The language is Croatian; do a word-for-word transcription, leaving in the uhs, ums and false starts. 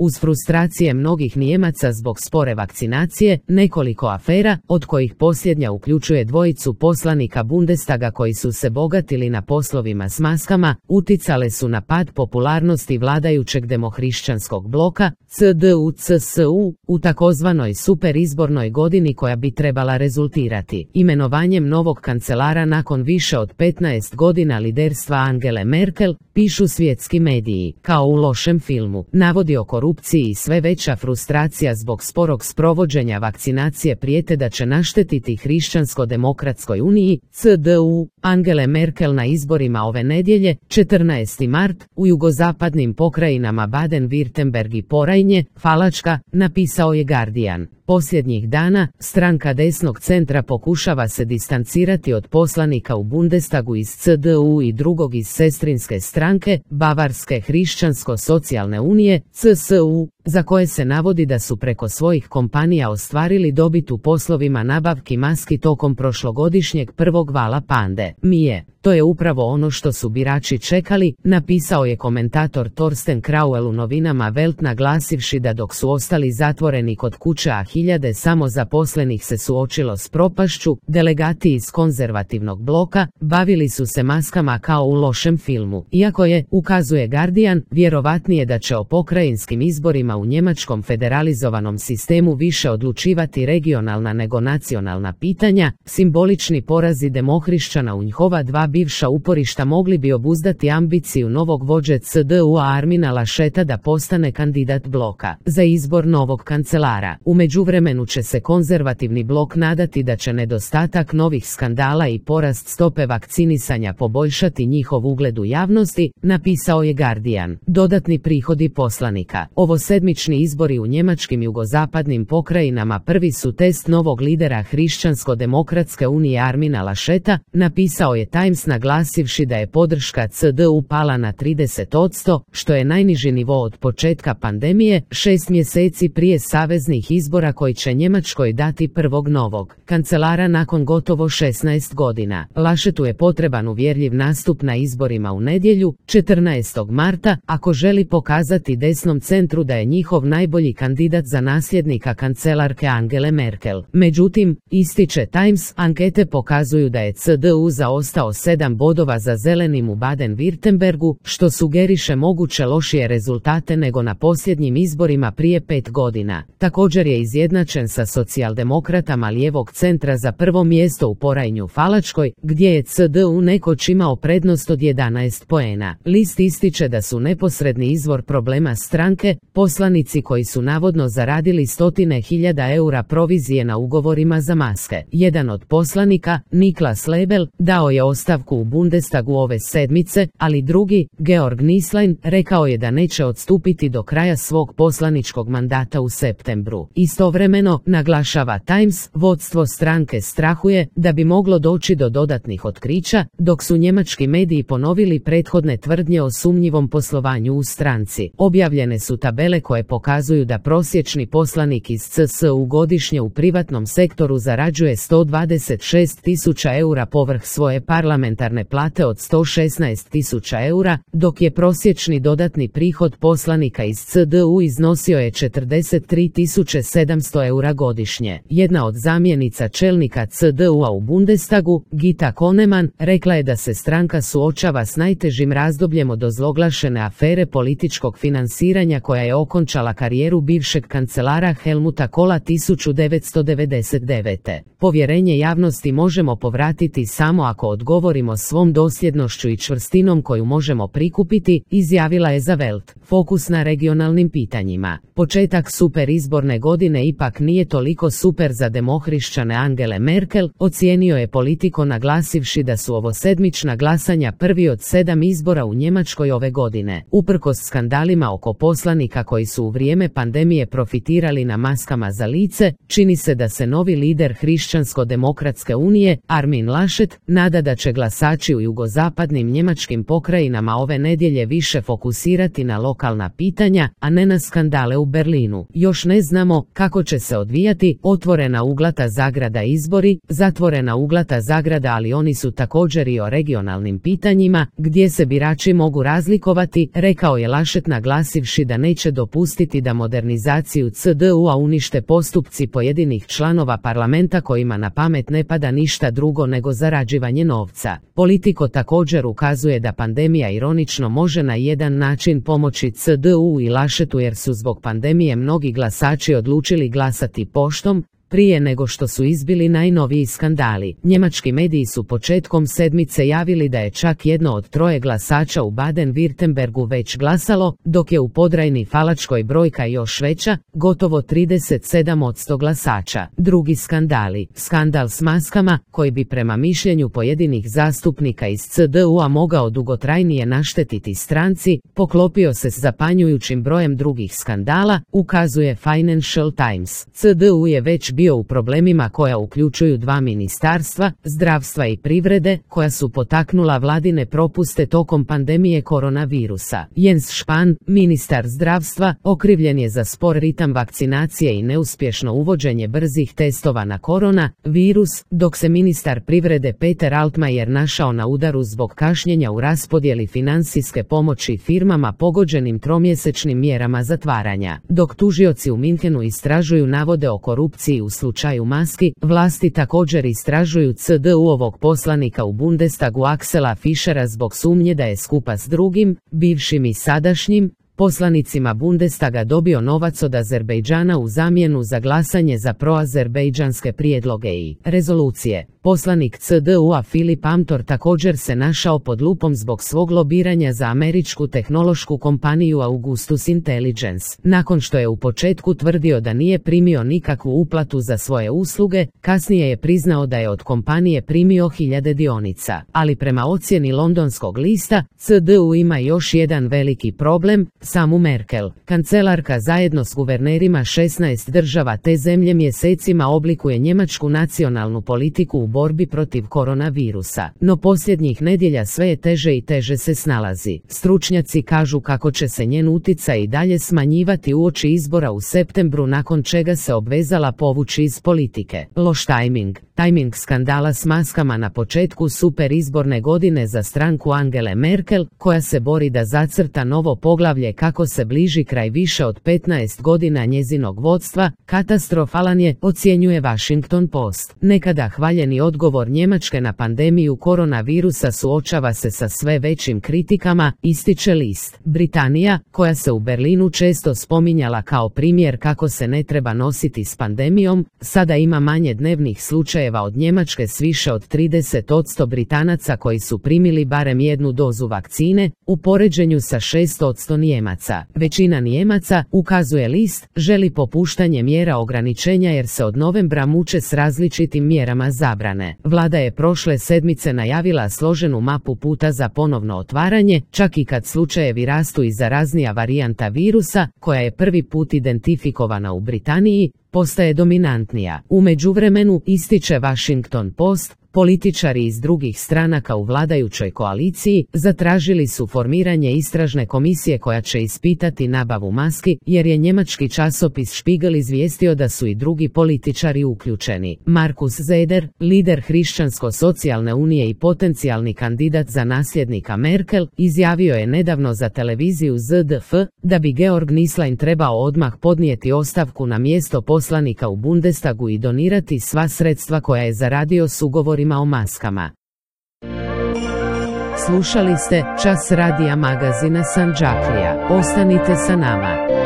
Uz frustracije mnogih Nijemaca zbog spore vakcinacije, nekoliko afera, od kojih posljednja uključuje dvojicu poslanika Bundestaga koji su se bogatili na poslovima s maskama, uticale su na pad popularnosti vladajućeg demohrišćanskog bloka, C D U C S U, u takozvanoj superizbornoj godini koja bi trebala rezultirati imenovanjem novog kancelara nakon više od petnaest godina liderstva Angele Merkel, pišu svjetski mediji. Kao u lošem filmu, navodi o korupciji i sve veća frustracija zbog sporog sprovođenja vakcinacije prijete da će naštetiti Hrišćansko-demokratskoj uniji, C D U, Angele Merkel na izborima ove nedjelje, četrnaesti mart, u jugozapadnim pokrajinama Baden-Württemberg i Porajnje, Falačka, napisao je Guardian. Posljednjih dana, stranka desnog centra pokušava se distancirati od poslanika u Bundestagu iz C D U i drugog iz sestrinske stranke, Bavarske hrišćansko-socijalne unije, C S U, za koje se navodi da su preko svojih kompanija ostvarili dobit u poslovima nabavki maski tokom prošlogodišnjeg prvog vala pande mije. To je upravo ono što su birači čekali, napisao je komentator Torsten Krauel u novinama Welt, naglasivši da dok su ostali zatvoreni kod kuće a hiljade samozaposlenih se suočilo s propašću, delegati iz konzervativnog bloka bavili su se maskama kao u lošem filmu. Iako je, ukazuje Guardian, vjerovatnije da će o pokrajinskim izborima u njemačkom federalizovanom sistemu više odlučivati regionalna nego nacionalna pitanja, simbolični porazi demohrišćana u njihova dva bivša uporišta mogli bi obuzdati ambiciju novog vođe C D U-a Armina Lascheta da postane kandidat bloka za izbor novog kancelara. U međuvremenu će se konzervativni blok nadati da će nedostatak novih skandala i porast stope vakcinisanja poboljšati njihov ugled u javnosti, napisao je Guardian. Dodatni prihodi poslanika. Ovo sedmični izbori u njemačkim jugozapadnim pokrajinama prvi su test novog lidera Hrišćansko-demokratske unije Armina Lascheta, napisao je Times, naglasivši da je podrška C D U pala na trideset posto, što je najniži nivo od početka pandemije, šest mjeseci prije saveznih izbora koji će Njemačkoj dati prvog novog kancelara nakon gotovo šesnaest godina. Laschetu je potreban uvjerljiv nastup na izborima u nedjelju, četrnaestog marta, ako želi pokazati desnom centru da je njihov najbolji kandidat za nasljednika kancelarke Angele Merkel. Međutim, ističe Times, ankete pokazuju da je C D U zaostao sedam bodova za zelenim u Baden-Württembergu, što sugeriše moguće lošije rezultate nego na posljednjim izborima prije pet godina. Također je izjednačen sa socijaldemokratama lijevog centra za prvo mjesto u Porajnju Falačkoj, gdje je C D U nekoć imao prednost od jedanaest poena. List ističe da su neposredni izvor problema stranke poslanici koji su navodno zaradili stotine hiljada eura provizije na ugovorima za maske. Jedan od poslanika, Niklas Lebel, dao je ostavku u Bundestagu ove sedmice, ali drugi, Georg Nislein, rekao je da neće odstupiti do kraja svog poslaničkog mandata u septembru. Istovremeno, naglašava Times, vodstvo stranke strahuje da bi moglo doći do dodatnih otkrića, dok su njemački mediji ponovili prethodne tvrdnje o sumnjivom poslovanju u stranci. Objavljene su tabele koje pokazuju da prosječni poslanik iz C S U godišnje u privatnom sektoru zarađuje sto dvadeset šest tisuća eura povrh svoje parlamentarne plate od sto šesnaest tisuća eura, dok je prosječni dodatni prihod poslanika iz C D U iznosio je četrdeset tri tisuće sedamsto eura godišnje. Jedna od zamjenica čelnika C D U-a u Bundestagu, Gita Koneman, rekla je da se stranka suočava s najtežim razdobljem od ozloglašene afere političkog finansiranja koja je okončala karijeru bivšeg kancelara Helmuta Kohla tisuću devetsto devedeset devete. Povjerenje javnosti možemo povratiti samo ako odgovorimo svom dosljednošću i čvrstinom koju možemo prikupiti, izjavila je za Welt. Fokus na regionalnim pitanjima. Početak super izborne godine ipak nije toliko super za demohrišćane Angele Merkel, ocijenio je Politico naglasivši da su ovo sedmična glasanja prvi od sedam izbora u Njemačkoj ove godine. Uprkos skandalima oko poslanika koji su u vrijeme pandemije profitirali na maskama za lice, čini se da se novi lider Hrišćansko-demokratske unije, Armin Laschet, nada da će glasači u jugozapadnim njemačkim pokrajinama ove nedjelje više fokusirati na lokalna pitanja, a ne na skandale u Berlinu. Još ne znamo kako će se odvijati otvorena uglata zagrada izbori, zatvorena uglata zagrada, ali oni su također i o regionalnim pitanjima, gdje se birači mogu razlikovati, rekao je Laschet naglasivši da neće dopustiti dopustiti da modernizaciju C D U-a unište postupci pojedinih članova parlamenta kojima na pamet ne pada ništa drugo nego zarađivanje novca. Politico također ukazuje da pandemija ironično može na jedan način pomoći C D U i Laschetu jer su zbog pandemije mnogi glasači odlučili glasati poštom, prije nego što su izbili najnoviji skandali. Njemački mediji su početkom sedmice javili da je čak jedno od troje glasača u Baden-Württembergu već glasalo, dok je u Podrajni Falačkoj brojka još veća, gotovo trideset sedam posto glasača. Drugi skandali. Skandal s maskama, koji bi prema mišljenju pojedinih zastupnika iz C D U-a mogao dugotrajnije naštetiti stranci, poklopio se s zapanjujućim brojem drugih skandala, ukazuje Financial Times. C D U je već bio u problemima koja uključuju dva ministarstva, zdravstva i privrede, koja su potaknula vladine propuste tokom pandemije koronavirusa. Jens Spahn, ministar zdravstva, okrivljen je za spor ritam vakcinacije i neuspješno uvođenje brzih testova na korona virus, dok se ministar privrede Peter Altmaier našao na udaru zbog kašnjenja u raspodjeli financijske pomoći firmama pogođenim tromjesečnim mjerama zatvaranja. Dok tužioci u Minhenu istražuju navode o korupciji u slučaju maski, vlasti također istražuju C D U-ovog poslanika u Bundestagu Axela Fischera zbog sumnje da je skupa s drugim, bivšim i sadašnjim, poslanicima Bundestaga dobio novac od Azerbejdžana u zamjenu za glasanje za proazerbejdžanske prijedloge i rezolucije. Poslanik C D U-a Filip Amthor također se našao pod lupom zbog svog lobiranja za američku tehnološku kompaniju Augustus Intelligence. Nakon što je u početku tvrdio da nije primio nikakvu uplatu za svoje usluge, kasnije je priznao da je od kompanije primio hiljade dionica. Ali prema ocjeni londonskog lista, C D U ima još jedan veliki problem, samu Merkel. Kancelarka zajedno s guvernerima šesnaest država te zemlje mjesecima oblikuje njemačku nacionalnu politiku u borbi protiv koronavirusa. No posljednjih nedjelja sve je teže i teže se snalazi. Stručnjaci kažu kako će se njen utjecaj i dalje smanjivati uoči izbora u septembru, nakon čega se obvezala povući iz politike. Loš tajming. Tajming skandala s maskama na početku super izborne godine za stranku Angele Merkel, koja se bori da zacrta novo poglavlje kako se bliži kraj više od petnaest godina njezinog vodstva, katastrofalan je, ocjenjuje Washington Post. Nekada hvaljeni odgovor Njemačke na pandemiju koronavirusa suočava se sa sve većim kritikama, ističe list. Britanija, koja se u Berlinu često spominjala kao primjer kako se ne treba nositi s pandemijom, sada ima manje dnevnih slučajeva od Njemačke s više od trideset posto Britanaca koji su primili barem jednu dozu vakcine, u poređenju sa šest posto Nijemaca. Većina Nijemaca, ukazuje list, želi popuštanje mjera ograničenja jer se od novembra muče s različitim mjerama zabrane. Vlada je prošle sedmice najavila složenu mapu puta za ponovno otvaranje, čak i kad slučajevi rastu i zaraznija varijanta virusa, koja je prvi put identifikovana u Britaniji, postaje dominantnija. U međuvremenu, ističe Washington Post, političari iz drugih stranaka u vladajućoj koaliciji zatražili su formiranje istražne komisije koja će ispitati nabavu maski, jer je njemački časopis Spiegel izvijestio da su i drugi političari uključeni. Markus Zeder, lider Hrišćansko-socijalne unije i potencijalni kandidat za nasljednika Merkel, izjavio je nedavno za televiziju Z D F da bi Georg Nislein trebao odmah podnijeti ostavku na mjesto poslanika u Bundestagu i donirati sva sredstva koja je zaradio s ugovorima o maskama. Slušali ste Čas radija magazina Sandžaklija. Ostanite sa nama.